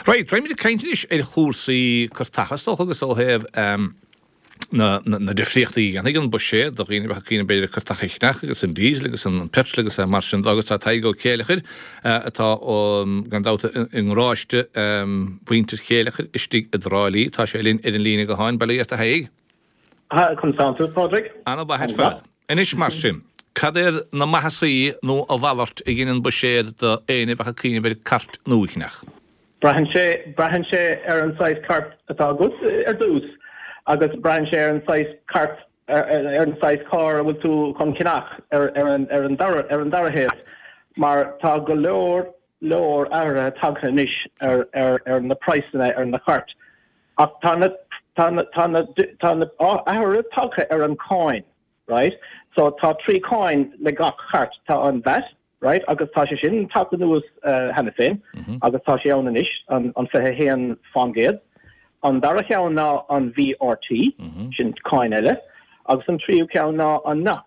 Right, raghaimid ag caint anois ar chúrsaí cairteacha is dócha agus ó thaobh na na difríochtaí a dhéanfaidh an buiséad do dhaoine a bheadh ag cuimhneamh b'fhéidir ar cairteacha a cheannach agus an diesel agus an petrol agus mar sin de agus tá Tadhg Ó Céileachair atá gan dabht i ngaráiste mhuintir Chéileachair istigh i dTrá Lí. Tá sé linn ar an líne gutháin. Bail ó Dhia ort a Thaidhg. Conas tánn tú, Pádraig? Ana-mhaith ar fad. Anois mar sin, cad iad na maitheasaí nó a mhalairt a dhein an buiséad do éinne a bheadh ag cuimhneamh ar cairt nua a cheannach? Braitheann sé, braitheann sé ar an saghas cairt atá agat ar dtús agus braitheann sé ar an saghas cairt, ar an saghas carr a bhfuil tú chun ceannach ar, ar an, ar an dara, ar an dara thaobh mar tá go leor, leor athruithe tagtha anois ar, ar, ar na praghsanna ar na cairt ach tá na, tá na, tá na, tá na athruithe tagtha ar an cáin, right? So tá 3 cáin le gach cairt, tá an VAT, right, agus tá sé sin tagtha anuas cheana féin agus tá sé ann anois, an 21%. An dara cheann ná an VRT, sin cáin eile, agus an tríú ceann ná an NOx.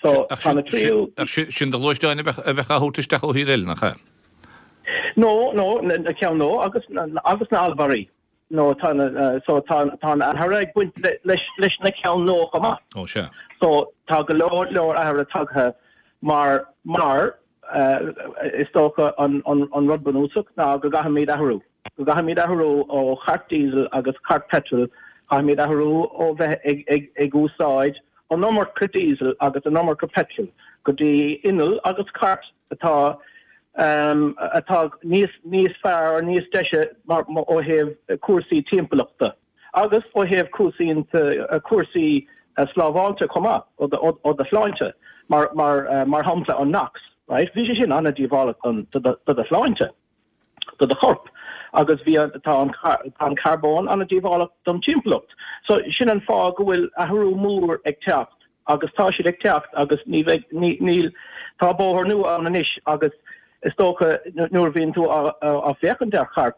So tá na tríú. Ach sin do ghluaisteáin a bheadh á thabhairt isteach ó thír eile, nach ea? No, no, na ceann nua agus agus na allmhairí. No, tá na, so tá tá an athruithe ag baint leis leis na ceann nua chomh maith. Ó sea. So tá go leor leor athruithe tagtha mar mar is dócha an an an rud bunúsach ná go gcaithfimid athrú. Go gcaithfimid athrú ó chairt diesel agus cairt petrol, caithfimid athrú ó bheith ag ag ag úsáid an iomarca diesel agus an iomarca petrol go dtí inneall agus cairt atá atá níos níos fearr, níos deise mar ó thaobh cúrsaí timpeallachta agus ó thaobh cúrsaí cúrsaí slábháilte chomh maith ó ó do shláinte mar mar mar shampla an NOx, right? Bhí sé sin an-díobhálach don do do shláinte. do do chorp agus bhí an, tá an, tá an carbón an-díobhálach don timpeallacht. So sin an fáth go bhfuil athrú mór ag teacht agus tá siad ag teacht agus ní bheidh, ní, níl, tá bóthar nua ann anois agus is dócha nuair a bhíonn tú á, á féachaint ar chairt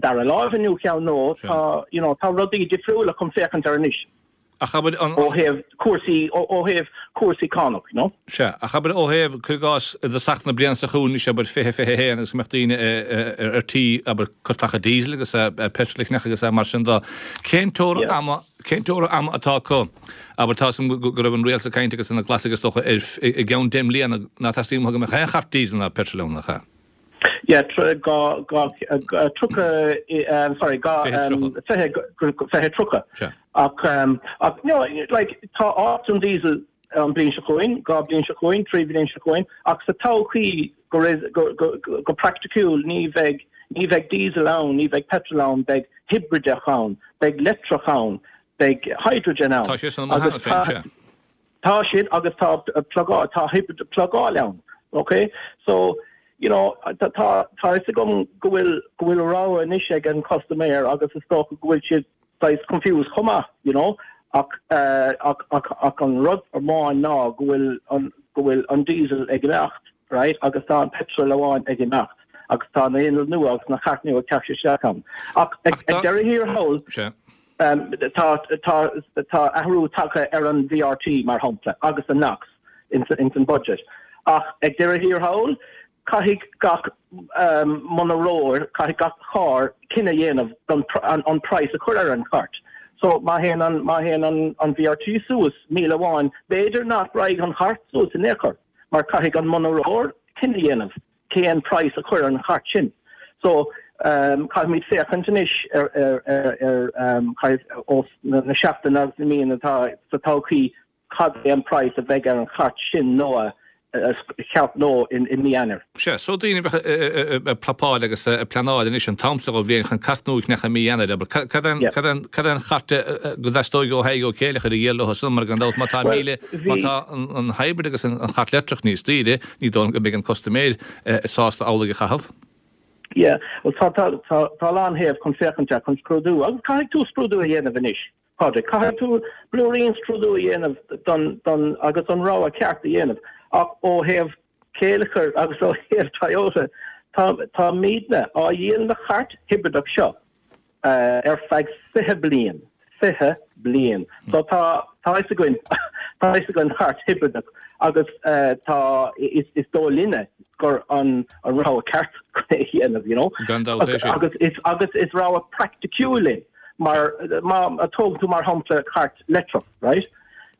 dara láimhe nó ceann nua, tá, you know, tá rudaí difriúla chun féachaint ar anois. Ach abair an. Ó thaobh cúrsaí, ó thaobh cúrsaí cánach, you know. Sea, ach abair ó thaobh, cuir i gcás, i dtosach na bliana seo chugainn anois, abair, 20, 21 agus go mbeadh daoine ar tí, abair, cairteacha diesel agus petrol a cheannach agus mar sin de. Cén teora ama, cén teora ama atá acu? Abair, tá 'fhios a'm go raibh an rialtas ag caint agus na Glasaigh is dócha ar, i gceann 10 mbliana ná teastaíonn uathu go mbeadh aon chairt diesel ná petrol ann, nach ea? Yeah, 2, 2, 30, sorry, 2, 20, 20, 30. Ach, ach, no, like, tá áit don diesel an bliain seo chugainn, 2 bliain seo chugainn, 3 bliain seo chugainn, ach sa todhchaí go, go, go, go praiticiúil ní bheidh, ní bheidh diesel ann, ní bheidh petrol ann, beidh hibrideach ann, beidh leictreach ann, beidh hydrogen ann. Tá sé san amuigh cheana féin, sea. Tá siad agus tá plugáil, tá hybrid plugáil ann, ok? So, you know, tá, tá fhios agam go bhfuil, go bhfuil rogha anois ag an custaiméir agus is dócha go bhfuil siad saghas confused chomh maith, you know, ach, ach, ach, ach an rud amháin ná go bhfuil an, go bhfuil an diesel ag imeacht, right, agus tá an petrol amháin ag imeacht agus tá na innill nua agus na cairt nua ag teacht isteach ann. Ach ag deireadh thiar thall, Tá tá athrú tagtha ar an VRT, mar shampla, agus an NOx ins an budget. Ach ag deireadh thiar thall, caithfidh gach monaróir, caithfidh gach carr cinneadh a dhéanamh don an praghas a chur ar an chairt. So má théann an má théann an an VRT suas 1,000 amháin, b'fhéidir nach raghaidh an chairt suas in aon chor, mar caithfidh an monaróir cinneadh a dhéanamh. cén praghas a chur ar an chairt sin. So, caithfimid féachaint anois ar, ar, ar, ar, caithfidh, ós na seachtaine agus na míonna atá sa todhchaí, cad é an praghas a bheidh ar an chairt sin nua, cheart nua i mí Eanáir. Sea, so daoine a bheadh ag prapáil agus ag pleanáil anois an t-am seo den bhliain chun cairt nua a cheannach i mí Eanáir, abair, cad é, cad é, cad é an chairt go dteastóidh ó Thadhg Ó Céileachair a dhíol leo san, mar gan dabht má tá 1,000, má tá an hybrid agus an chairt leictreach níos daoire, Ní dóigh liom go mbeidh an custaiméir sásta amhlaidh a chaitheamh. Yeah, bhuel tá, tá, tá, tá a lán thaobh chun féachaint air, chun scrúdú, agus caithfidh tú scrúdú a dhéanamh anois, Pádraig, caithfidh tú blúirín scrúdú a dhéanamh don, don, agus an rogha ceart a dhéanamh. Ach ó thaobh Céileachair agus ó thaobh Toyota, tá, táimidne á dhíol na chairt hibrideach seo. ar feadh 20 bliain, 20 bliain. So tá, tá fhios againn, Tá an chairt hibrideach agus tá is is dóigh linne gur an an rogha ceart é a dhéanamh, you know. Gan dabht é sin. Agus is agus is rogha praiticiúil é mar má tógann tú mar shampla cairt leictreach, right?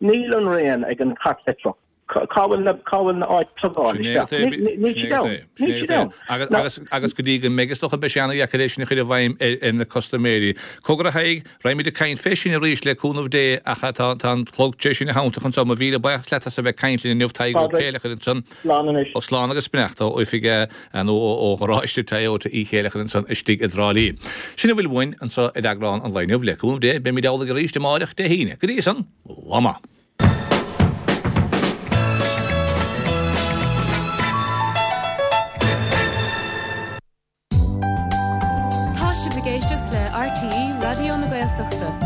Níl an raon ag an chairt leictreach. Cá bhfuil na cá bhfuil na áit plugáil isteach? Níl siad ann. Níl siad ann. Agus agus agus go dtí go mbeidh is dócha beidh sé an-dheacair é sin a chur i bhfeidhm ar ar na custaiméirí. Cogar a Thaidhg, raghaimid ag caint fé sin arís le cúnamh Dé ach tá tá an clog tar éis sinn a theanntadh anso. Mo mhíle buíochas leat as a bheith ag caint linn inniu Tadhg Ó Céileachair ansan. Slán anois. Ó slán agus beannacht ó oifig nó ó gharáiste Toyota Uí Chéileachair ansan istigh i dTrá Lí. Sin a bhfuil uainn anso ar eagrán an lae inniu. Le cúnamh Dé beimid amhlaidh arís amáireach Dé hAoine. Go dtí san, lá maith. Tá sibh ag éisteacht le RTÉ Raidió na Gaeltachta.